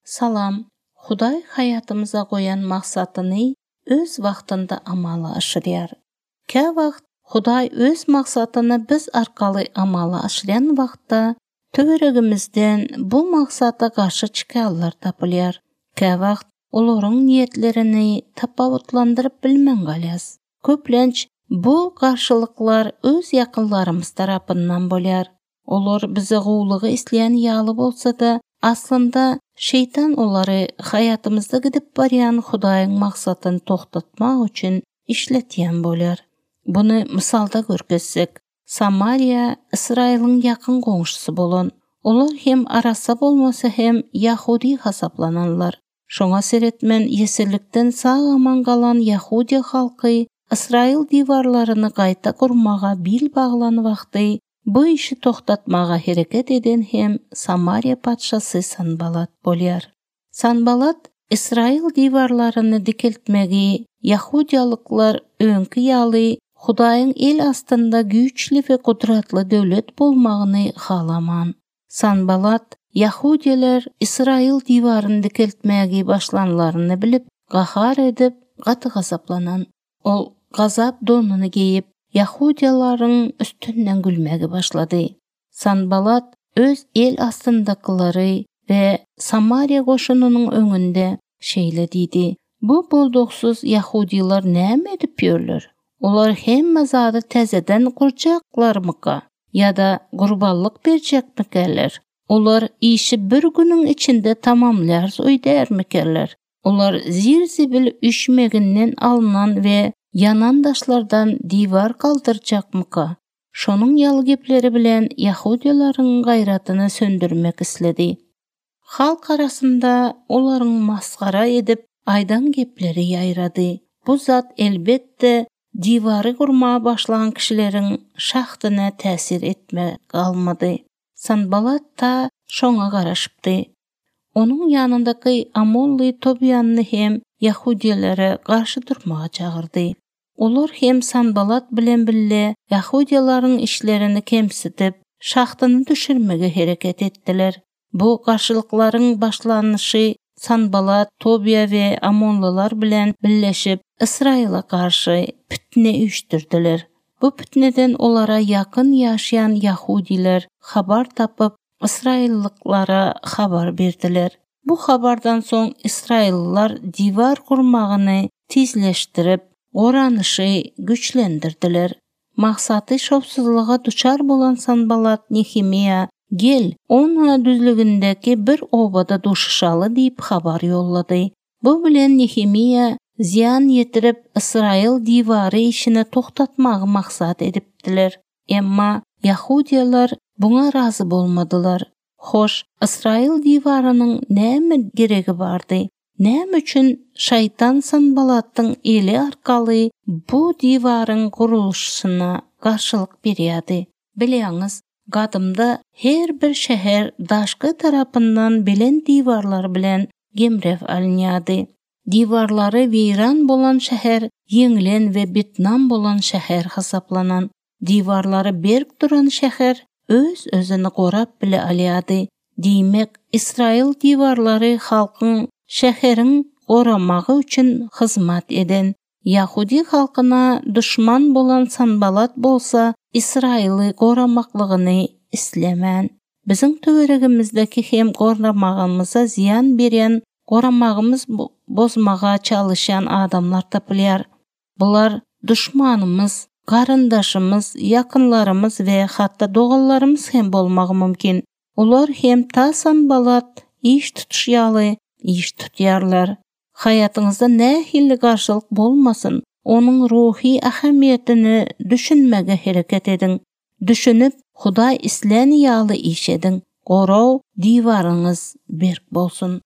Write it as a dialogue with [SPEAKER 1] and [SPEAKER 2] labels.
[SPEAKER 1] Salam, Huday hayatımıza koyan maksatını öz vaxtında amala aşırıyar. Kə vaxt Huday öz maksatını biz arkalı amala aşırayan vaxtda töveregimizden bu maksata karşı çıkarlar tapılyar. Kə vaxt olorun niyetlerini tapavutlandırıp bilmen galyaz. Köplenç bu karşılıklar öz yakınlarımız tarafından bolyar. Olor bize gowlugy isleyen yalı bolsa da aslında şeytan onları hayatımızda gidip baryan Hudaýyň maksatını toxtatmak üçün işletýän bolar. Bunu misalda görkezsek, Samariya İsrail'in yakın goňşusy bolan. Olar hem arasa bolmasa hem Yahudi hasaplananlar. Şoňa seretmen yesirlikden sağ aman galan Yahudi halky İsrail diwarlaryny gaýta gurmaga bil baglan wagty bu işi toxtatmaga hereket eden hem Samariya patşasy Sanbalat bolyar. Sanbalat İsrail diwarlaryny dikeltmegi Yahudiýalyklar öňkü ýaly Hudaýyň el astynda güýçli we gudratly döwlet bolmagyny halaman. Sanbalat Yahudiler İsrail diwaryny dikeltmegi başlanlaryny bilip gahar edip gaty gazaplanan. Ol gazap donuny giyip Yahudiýalaryň üstünden gülmegi başlady. Sanbalat öz el astındakylary we Samariya goşunynyň öňünde şeýle diýdi. Bu bolduksuz Yahudiýlar näme edip ýörler? Olar hemme zady täzeden gurjaklarmyka ýa-da gurbanlyk berjekmikenler? Olar işi bir günüň içinde tamamlar öýdärmikenler? Olar zir-zibil üşmeginden alınan ve yanan daşlardan divar kaldırjakmyka? Şonuň ýaly gepleri bilen Yahudiýalaryň gaýratyny söndürmek isledi. Halk arasında olaryň maskara edip aydan gepleri ýaýrady. Bu zat elbette divary gurma başlayan kişileriň şahtyna täsir etme galmady. Sanbalat ta şoňa garaşypdy. Onun ýanyndaky Amonly Tobiýany hem Yahudiýalary garşy durmaga çagyrdy. Olar hem Sanbalat bilen bille Yahudiýalaryň işlerini kemsitip, şahtyny düşürmege hereket etdiler. Bu garşylyklaryň başlanýy Sanbalat, Tobiýa we Amonlylar bilen birleşip İsraila garşy pitne üýtdirdiler. Bu pitneden olara yakın yaşayan Yahudiler habar tapıp İsraillyklara habar berdiler. Bu habardan soň İsrailliler divar kurmagyny tizleşdirip, oranyşy güçlendirdiler. Maksаты şopsuzlyga duçar bolan Sanbalat Nehemiýa gel, ona düzlügündeki bir obada duşuşaly diýip habar ýollady. Bu bilen Nehemiýa ziyan yetirip İsrail divary işini toxtatmagy maksat edipdiler. Emma Yahudiýalar buna razı bolmadylar. Hoş, İsrail diwarynyň näme geregi bardy? Näme üçin şaýtan Sanbalat'yň eli arkaly bu diwaryň guruluşyna garşylyk berýärdi? Bilýäňiz, gadymda her bir şäher daşky tarapyndan bilen diwarlar bilen gemrew alınýardy. Diwarlary weýran bolan şäher ýeňilen we bitnam bolan şäher hasaplanan. Diwarlary berk duran şäher öz özüni gorap bile alýardy. Diýmek, İsrail diwarlary halkyň şäheriň goramagy üçin hyzmat eden. Yahudi halkyna düşman bolan Sanbalat bolsa İsraili goramaklygyny islemän. Biziň töweregimizdeki hem goramagymyza ziyan berýän, goramagymyz bozmaga çalışan adamlar tapylýar. Bular düşmanymyz, garyndaşymyz, yakınlarımız ve hatta dogallarımız hem bolmagy mümkin. Olar hem ta Sanbalat iş tutuşýaly, iş tutýarlar. Hayatyňyzda nähili garşylyk bolmasyn, onun ruhi ähemiýetini düşünmege hereket edin. Düşünüp Hudaý islen ýaly iş edin. Goraw diwaryňyz berk bolsun.